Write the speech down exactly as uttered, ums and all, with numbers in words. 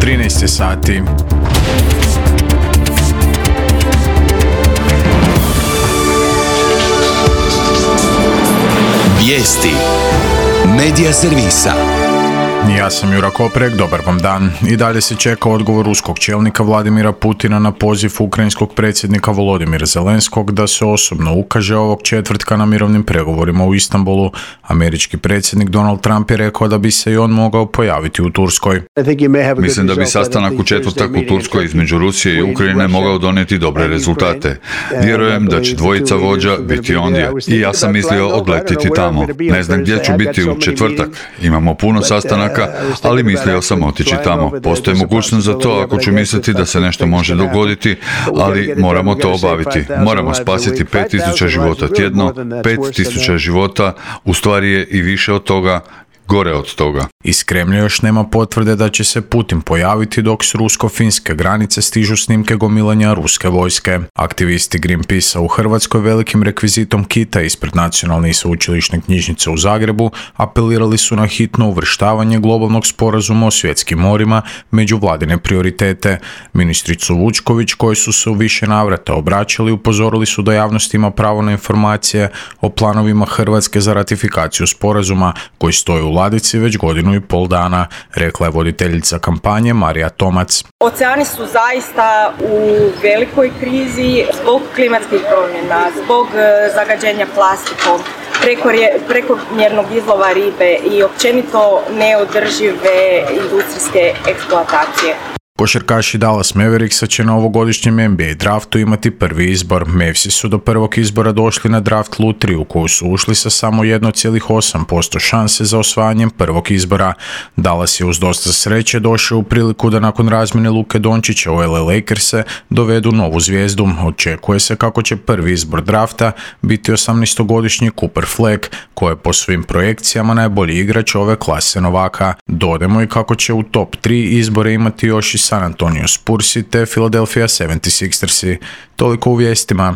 trinaest je sati. Vijesti Medija servisa. Ja sam Jura Koprek, dobar vam dan. I dalje se čeka odgovor ruskog čelnika Vladimira Putina na poziv ukrajinskog predsjednika Volodymyra Zelenskog da se osobno ukaže ovog četvrtka na mirovnim pregovorima u Istanbulu. Američki predsjednik Donald Trump je rekao da bi se i on mogao pojaviti u Turskoj. Mislim da bi sastanak u četvrtak u Turskoj između Rusije i Ukrajine mogao donijeti dobre rezultate. Vjerujem da će dvojica vođa biti ondje i ja sam mislio odletiti tamo. Ne znam gdje ću biti u četvrtak. Imamo puno sastanaka, ali mislio sam otići tamo. Postoji mogućnost za to ako ću misliti da se nešto može dogoditi, ali moramo to obaviti. Moramo spasiti pet tisuća života tjedno, pet tisuća života, u stvari je i više od toga, gore od toga. Iz Kremlja još nema potvrde da će se Putin pojaviti dok s rusko-finske granice stižu snimke gomilanja ruske vojske. Aktivisti Greenpeacea u Hrvatskoj velikim rekvizitom kita ispred Nacionalne i sveučilišne knjižnice u Zagrebu apelirali su na hitno uvrštavanje globalnog sporazuma o svjetskim morima među vladine prioritete. Ministricu Vučković, koji su se u više navrata obraćali, upozorili su da javnost ima pravo na informacije o planovima Hrvatske za ratifikaciju sporazuma koji stoji u ladici već godinu i pol dana, rekla je voditeljica kampanje Marija Tomac. Oceani su zaista u velikoj krizi zbog klimatskih promjena, zbog zagađenja plastikom, prekomjernog izlova ribe i općenito neodržive industrijske eksploatacije. Košarkaši Dallas Mavericksa će na ovogodišnjem N B A draftu imati prvi izbor. Mavsi su do prvog izbora došli na draft lutriju u koju su ušli sa samo jedan zarez osam posto šanse za osvajanjem prvog izbora. Dallas je uz dosta sreće došao u priliku da nakon razmjene Luke Dončića u L A Lakers-e dovedu novu zvijezdu. Očekuje se kako će prvi izbor drafta biti osamnaestogodišnji Cooper Fleck, koji je po svim projekcijama najbolji igrač ove klase novaka. Dodajmo i kako će u top tri izbore imati još i San Antonio Spursi te Philadelphia sedamdeset šestersi. Toliko u vijestima.